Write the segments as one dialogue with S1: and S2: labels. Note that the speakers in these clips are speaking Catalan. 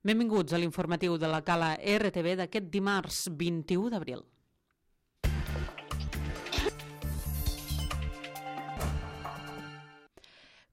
S1: Benvinguts a l'informatiu de la Cala RTV d'aquest dimarts 21 d'abril.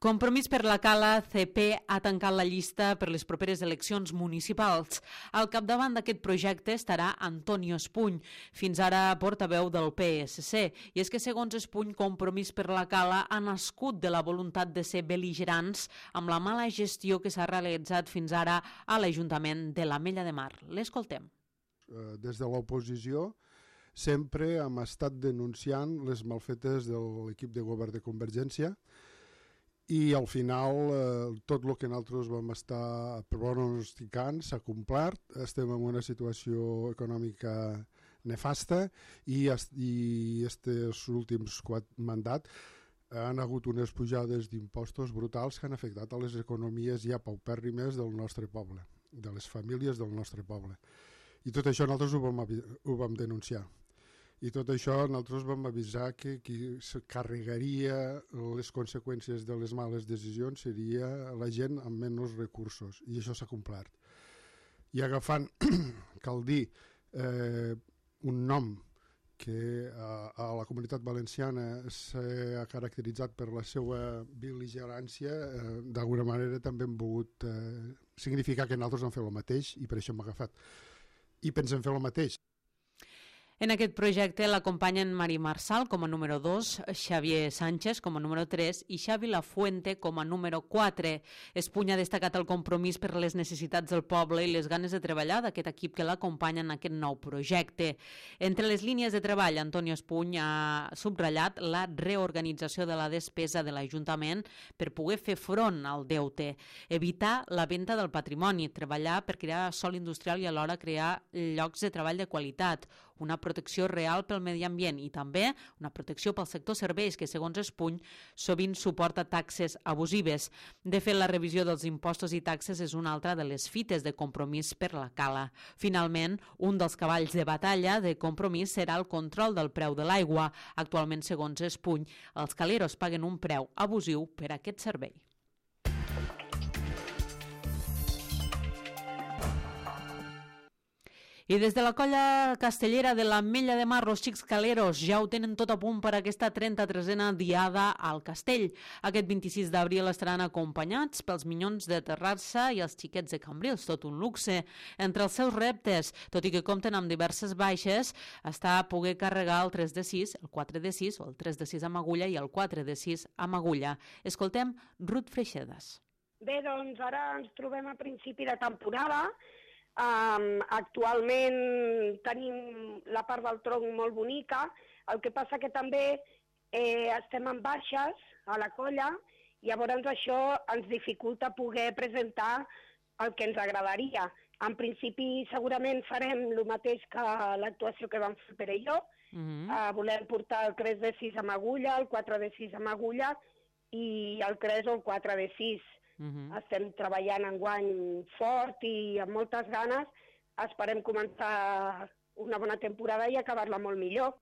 S1: Compromís per la Cala, CP ha tancat la llista per les properes eleccions municipals. Al capdavant d'aquest projecte estarà Antonio Espuny, fins ara portaveu del PSC. I és que, segons Espuny, Compromís per la Cala ha nascut de la voluntat de ser bel·ligerants amb la mala gestió que s'ha realitzat fins ara a l'Ajuntament de l'Ametlla de Mar. L'escoltem.
S2: Des de l'oposició sempre hem estat denunciant les malfetes de l'equip de govern de Convergència i al final tot el que nosaltres vam estar pronosticant s'ha complert. Estem en una situació econòmica nefasta i aquests últims 4 mandats han hagut unes pujades d'impostos brutals que han afectat a les economies ja paupèrrimes del nostre poble, de les famílies del nostre poble. I tot això nosaltres ho vam denunciar. I tot això nosaltres vam avisar que qui se carregaria les conseqüències de les males decisions seria la gent amb menys recursos, i això s'ha complert. I agafant, cal dir, un nom que a la Comunitat Valenciana s'ha caracteritzat per la seva bel·ligerància, d'alguna manera també hem volgut significar que nosaltres hem fet el mateix i per això hem agafat. I pensem fer el mateix.
S1: En aquest projecte l'acompanyen Mari Marsal com a número 2, Xavier Sánchez com a número 3 i Xavi Lafuente com a número 4. Espuny ha destacat el compromís per les necessitats del poble i les ganes de treballar d'aquest equip que l'acompanya en aquest nou projecte. Entre les línies de treball, Antonio Espuny ha subratllat la reorganització de la despesa de l'Ajuntament per poder fer front al deute, evitar la venda del patrimoni, treballar per crear sòl industrial i alhora crear llocs de treball de qualitat, una protecció real pel medi ambient i també una protecció pel sector serveis que, segons Espuny, sovint suporta taxes abusives. De fet, la revisió dels impostos i taxes és una altra de les fites de Compromís per la Cala. Finalment, un dels cavalls de batalla de Compromís serà el control del preu de l'aigua. Actualment, segons Espuny, els caleros paguen un preu abusiu per a aquest servei. I des de la colla castellera de l'Ametlla de Mar, els xics caleros ja ho tenen tot a punt per aquesta 33a diada al castell. Aquest 26 d'abril estaran acompanyats pels minyons de Terrassa i els xiquets de Cambrils, tot un luxe. Entre els seus reptes, tot i que compten amb diverses baixes, està a poder carregar el 3 de 6, el 4 de 6 o el 3 de 6 amb agulla i el 4 de 6 amb agulla. Escoltem Ruth Freixedas.
S3: Bé, doncs ara ens trobem a principi de temporada. Actualment tenim la part del tronc molt bonica, el que passa que també estem en baixes a la colla i llavors això ens dificulta poder presentar el que ens agradaria. En principi segurament farem el mateix que l'actuació que vam fer Pere i jo. Volem portar el 3 de 6 amb agulla, el 4 de 6 amb agulla i el 3 o el 4 de 6. Estem treballant enguany fort i amb moltes ganes. Esperem començar una bona temporada i acabar-la molt millor.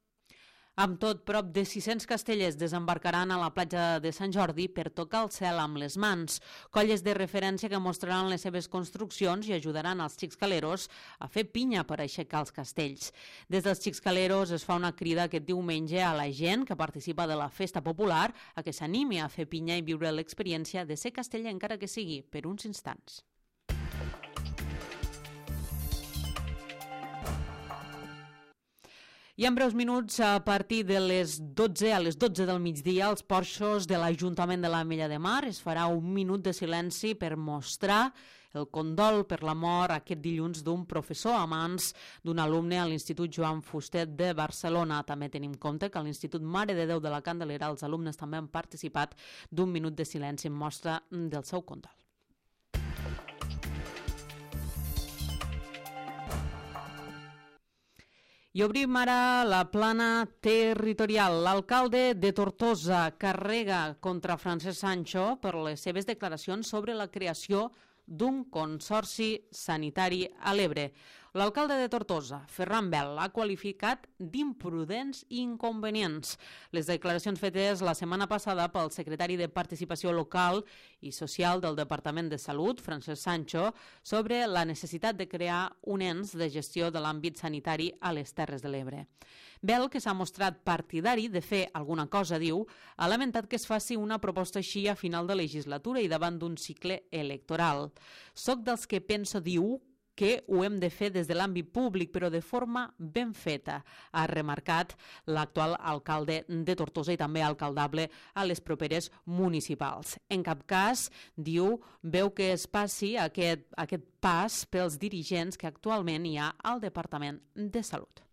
S1: Amb tot, prop de 600 castellers desembarcaran a la platja de Sant Jordi per tocar el cel amb les mans. Colles de referència que mostraran les seves construccions i ajudaran els xics caleros a fer pinya per aixecar els castells. Des dels xics caleros es fa una crida aquest diumenge a la gent que participa de la festa popular a que s'animi a fer pinya i viure l'experiència de ser casteller, encara que sigui per uns instants. I en breus minuts, a partir de les 12 del migdia, als porxos de l'Ajuntament de l'Ametlla de Mar es farà un minut de silenci per mostrar el condol per la mort aquest dilluns d'un professor a mans d'un alumne a l'Institut Joan Fustet de Barcelona. També tenim en compte que a l'Institut Mare de Déu de la Candelera els alumnes també han participat d'un minut de silenci en mostra del seu condol. I obrim ara la plana territorial. L'alcalde de Tortosa carrega contra Francesc Sancho per les seves declaracions sobre la creació d'un consorci sanitari a l'Ebre. L'alcalde de Tortosa, Ferran Bel, l'ha qualificat d'imprudents i inconvenients. Les declaracions fetes la setmana passada pel secretari de Participació Local i Social del Departament de Salut, Francesc Sancho, sobre la necessitat de crear un ens de gestió de l'àmbit sanitari a les Terres de l'Ebre. Bel, que s'ha mostrat partidari de fer alguna cosa, diu, ha lamentat que es faci una proposta així a final de legislatura i davant d'un cicle electoral. Soc dels que penso, diu, que ho hem de fer des de l'àmbit públic, però de forma ben feta, ha remarcat l'actual alcalde de Tortosa i també alcaldable a les properes municipals. En cap cas, diu, veu que es passi aquest pas pels dirigents que actualment hi ha al Departament de Salut.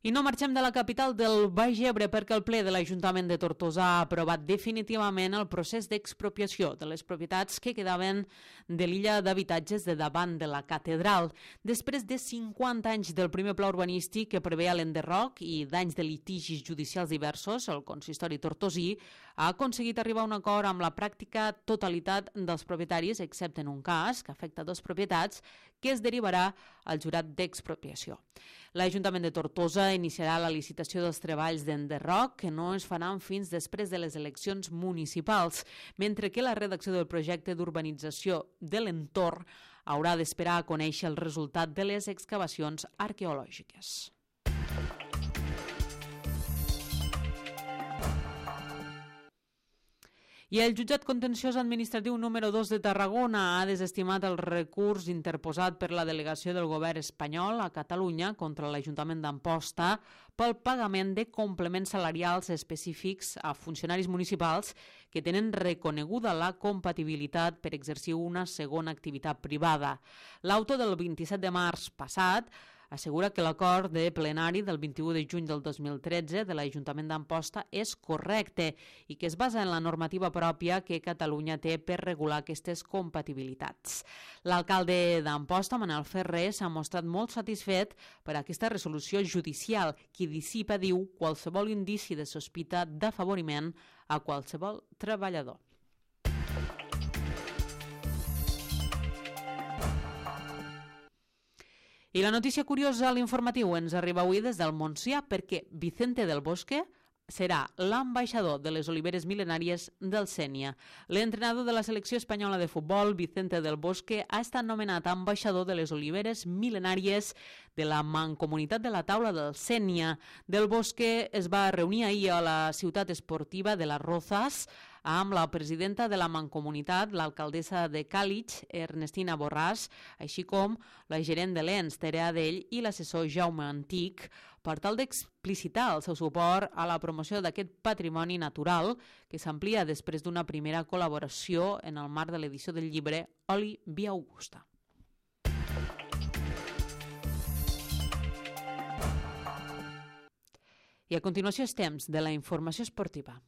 S1: I no marxem de la capital del Baix Ebre perquè el ple de l'Ajuntament de Tortosa ha aprovat definitivament el procés d'expropiació de les propietats que quedaven de l'illa d'habitatges de davant de la catedral. Després de 50 anys del primer pla urbanístic que preveia l'enderroc i d'anys de litigis judicials diversos, el consistori tortosí ha aconseguit arribar a un acord amb la pràctica totalitat dels propietaris, excepte en un cas que afecta 2 propietats, que es derivarà al jurat d'expropiació. L'Ajuntament de Tortosa iniciarà la licitació dels treballs d'enderroc, que no es faran fins després de les eleccions municipals, mentre que la redacció del projecte d'urbanització de l'entorn haurà d'esperar a conèixer el resultat de les excavacions arqueològiques. I el jutjat contenciós administratiu número 2 de Tarragona ha desestimat el recurs interposat per la delegació del govern espanyol a Catalunya contra l'Ajuntament d'Amposta pel pagament de complements salarials específics a funcionaris municipals que tenen reconeguda la compatibilitat per exercir una segona activitat privada. L'auto del 27 de març passat assegura que l'acord de plenari del 21 de juny del 2013 de l'Ajuntament d'Amposta és correcte i que es basa en la normativa pròpia que Catalunya té per regular aquestes compatibilitats. L'alcalde d'Amposta, Manel Ferrer, s'ha mostrat molt satisfet per aquesta resolució judicial que dissipa, diu, qualsevol indici de sospita d'afavoriment a qualsevol treballador. I la notícia curiosa a l'informatiu ens arriba avui des del Montsià perquè Vicente del Bosque serà l'ambaixador de les oliveres mil·lenàries del Sénia. L'entrenador de la selecció espanyola de futbol, Vicente del Bosque, ha estat nomenat ambaixador de les oliveres mil·lenàries de la Mancomunitat de la Taula del Sénia. Del Bosque es va reunir ahir a la ciutat esportiva de Las Rozas amb la presidenta de la Mancomunitat, l'alcaldessa de Càlig, Ernestina Borràs, així com la gerent de l'ENS, Tere Adell, i l'assessor Jaume Antic, per tal d'explicitar el seu suport a la promoció d'aquest patrimoni natural que s'amplia després d'una primera col·laboració en el marc de l'edició del llibre Oli Via Augusta. I a continuació és temps de la informació esportiva.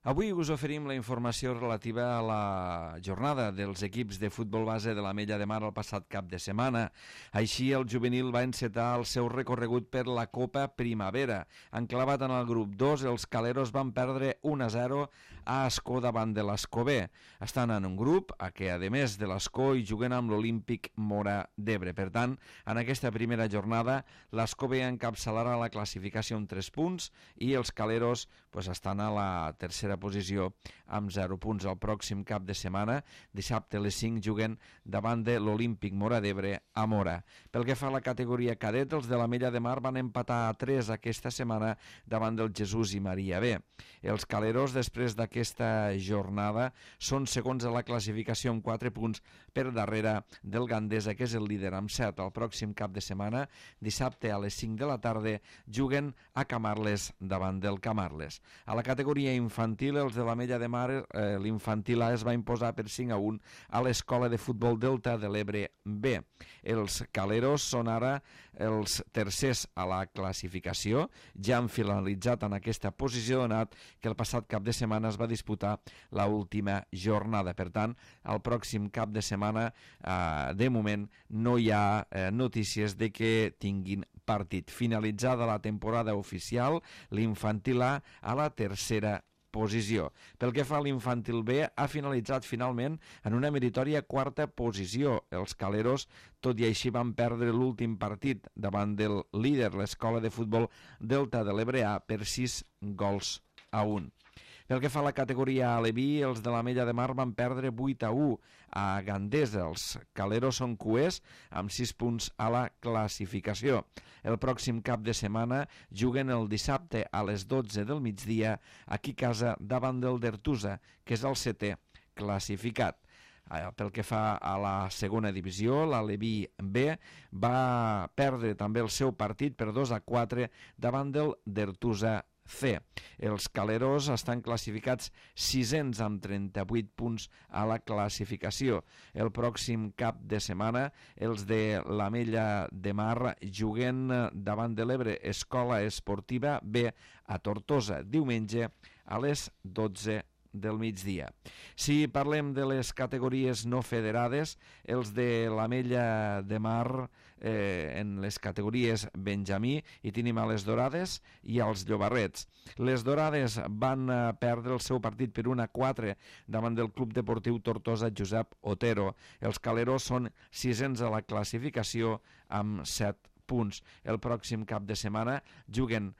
S4: Avui us oferim la informació relativa a la jornada dels equips de futbol base de l'Ametlla de Mar el passat cap de setmana. Així, el juvenil va encetar el seu recorregut per la Copa Primavera. Enclavat en el grup 2, els caleros van perdre 1-0 a Ascó davant de l'Escó B. Estan en un grup a què, a més de l'Escó, hi juguen amb l'Olímpic Móra d'Ebre. Per tant, en aquesta primera jornada, l'Escó B encapçalarà la classificació amb 3 punts i els caleros estan a la tercera posició amb 0 punts. El pròxim cap de setmana, dissabte a les 5, juguen davant de l'Olímpic Móra d'Ebre a Móra. Pel que fa a la categoria cadet, els de l'Ametlla de Mar van empatar a 3 aquesta setmana davant del Jesús i Maria B. Els caleros, després d'aquesta jornada, són segons a la classificació amb 4 punts per darrere del Gandesa, que és el líder amb 7. El pròxim cap de setmana, dissabte a les 5 de la tarda, juguen a Camarles davant del Camarles. A la categoria infantil, infantil, els de l'Ametlla de Mar, l'infantil A es va imposar per 5-1 a l'Escola de Futbol Delta de l'Ebre B. Els caleros són ara els tercers a la classificació, ja han finalitzat en aquesta posició, donat que el passat cap de setmana es va disputar l'última jornada. Per tant, el pròxim cap de setmana, de moment, no hi ha notícies de que tinguin partit. Finalitzada la temporada oficial, l'infantil A la tercera posició. Pel que fa a l'infantil B, ha finalitzat finalment en una meritòria quarta posició. Els caleros, tot i així, van perdre l'últim partit davant del líder, l'Escola de Futbol Delta de l'Ebre A, per 6-1. Pel que fa a la categoria Aleví, els de l'Ametlla de Mar van perdre 8-1 a Gandesa. Els caleros són cuers amb 6 punts a la classificació. El pròxim cap de setmana juguen el dissabte a les 12 del migdia aquí a casa davant del Dertusa, que és el 7è classificat. Pel que fa a la segona divisió, l'Aleví B va perdre també el seu partit per 2-4 davant del Dertusa C. Els caleros estan classificats 600 amb 38 punts a la classificació. El pròxim cap de setmana els de l'Ametlla de Mar juguen davant de l'Ebre Escola Esportiva B a Tortosa, diumenge a les 12 del migdia. Si parlem de les categories no federades, els de l'Ametlla de Mar en les categories Benjamí hi tenim a les Dorades i als Llobarrets. Les Dorades van perdre el seu partit per 1-4 davant del Club Deportiu Tortosa Josep Otero. Els caleros són 600 a la classificació amb 7 punts. El pròxim cap de setmana juguen,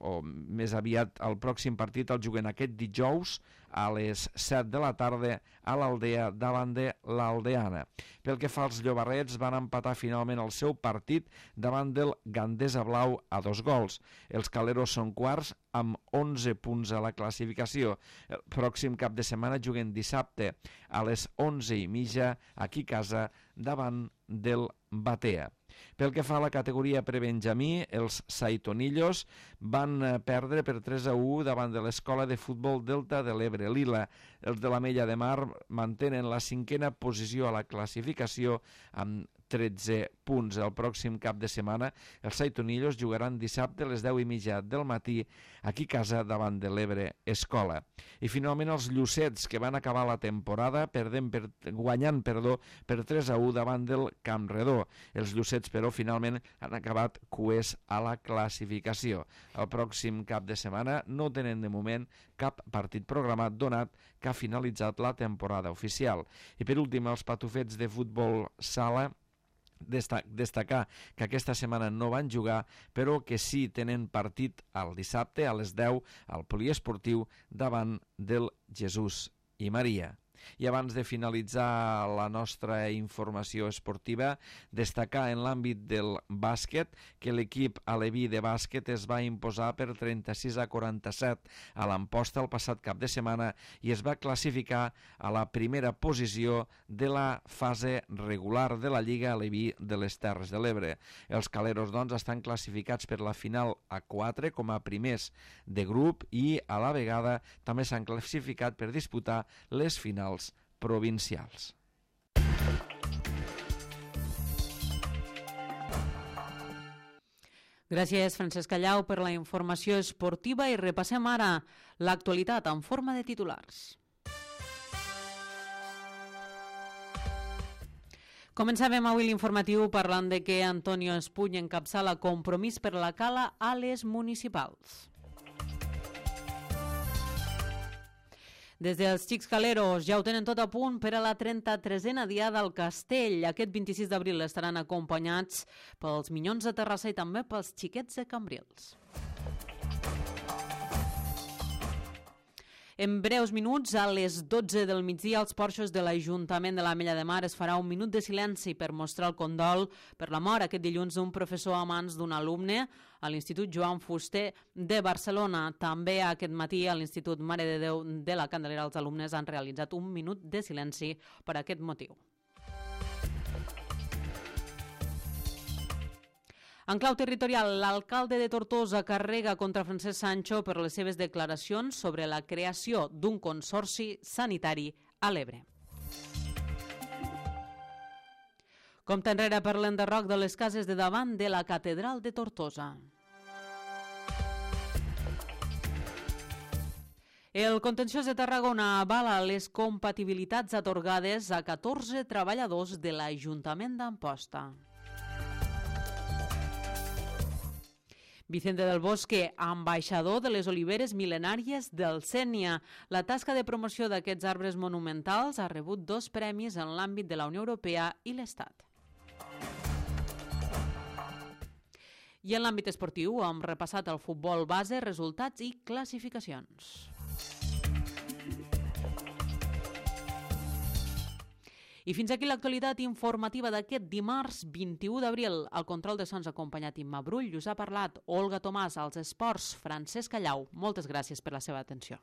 S4: o més aviat el pròxim partit el juguen aquest dijous a les 7 de la tarda a l'Aldea davant de l'Aldeana. Pel que fa als Llobarrets, van empatar finalment el seu partit davant del Gandesa Blau a 2 gols. Els caleros són quarts amb 11 punts a la classificació. El pròxim cap de setmana juguen dissabte a les 11:30 aquí a casa davant del Batea. Pel que fa a la categoria prebenjamí, els Saitonillos van perdre per 3-1 davant de l'Escola de Futbol Delta de l'Ebre Lila. Els de l'Ametlla de Mar mantenen la 5è posició a la classificació amb 13 punts. El pròxim cap de setmana els Saitonillos jugaran dissabte a les 10:30 del matí aquí a casa davant de l'Ebre Escola. I finalment els Llucets, que van acabar la temporada guanyant per 3-1 davant del Campredó. Els Llucets, però, finalment han acabat cuers a la classificació. El pròxim cap de setmana no tenen de moment cap partit programat, donat que ha finalitzat la temporada oficial. I per últim, els patufets de futbol sala, destacar que aquesta setmana no van jugar, però que sí tenen partit el dissabte a les 10 al poliesportiu davant del Jesús i Maria. I abans de finalitzar la nostra informació esportiva, destacar en l'àmbit del bàsquet que l'equip aleví de bàsquet es va imposar per 36-47 a l'Amposta el passat cap de setmana i es va classificar a la primera posició de la fase regular de la Lliga Aleví de les Terres de l'Ebre. Els caleros, doncs, estan classificats per la final a 4 com a primers de grup i a la vegada també s'han classificat per disputar les finals provincials.
S1: Gràcies, Francesc Callau, per la informació esportiva i repassem ara l'actualitat en forma de titulars. Començàvem avui l'informatiu parlant de que Antonio Espuny encapçala Compromís per la Cala a les municipals. Des dels Xics Caleros ja ho tenen tot a punt per a la 33a Diada al Castell. Aquest 26 d'abril estaran acompanyats pels Minyons de Terrassa i també pels Xiquets de Cambrils. En breus minuts, a les 12 del migdia, als porxos de l'Ajuntament de l'Ametlla de Mar es farà un minut de silenci per mostrar el condol per la mort aquest dilluns d'un professor a mans d'un alumne a l'Institut Joan Fuster de Barcelona. També aquest matí a l'Institut Mare de Déu de la Candelera els alumnes han realitzat un minut de silenci per aquest motiu. En clau territorial, l'alcalde de Tortosa carrega contra Francesc Sancho per les seves declaracions sobre la creació d'un consorci sanitari a l'Ebre. Compte enrere per l'enderroc de les cases de davant de la catedral de Tortosa. El contenciós de Tarragona avala les compatibilitats atorgades a 14 treballadors de l'Ajuntament d'Amposta. Vicente del Bosque, ambaixador de les oliveres mil·lenàries del Sénia. La tasca de promoció d'aquests arbres monumentals ha rebut 2 premis en l'àmbit de la Unió Europea i l'Estat. I en l'àmbit esportiu hem repassat el futbol base, resultats i classificacions. I fins aquí l'actualitat informativa d'aquest dimarts 21 d'abril. Al control de sons acompanyat Imma Brull, us ha parlat Olga Tomàs, als esports Francesc Callau. Moltes gràcies per la seva atenció.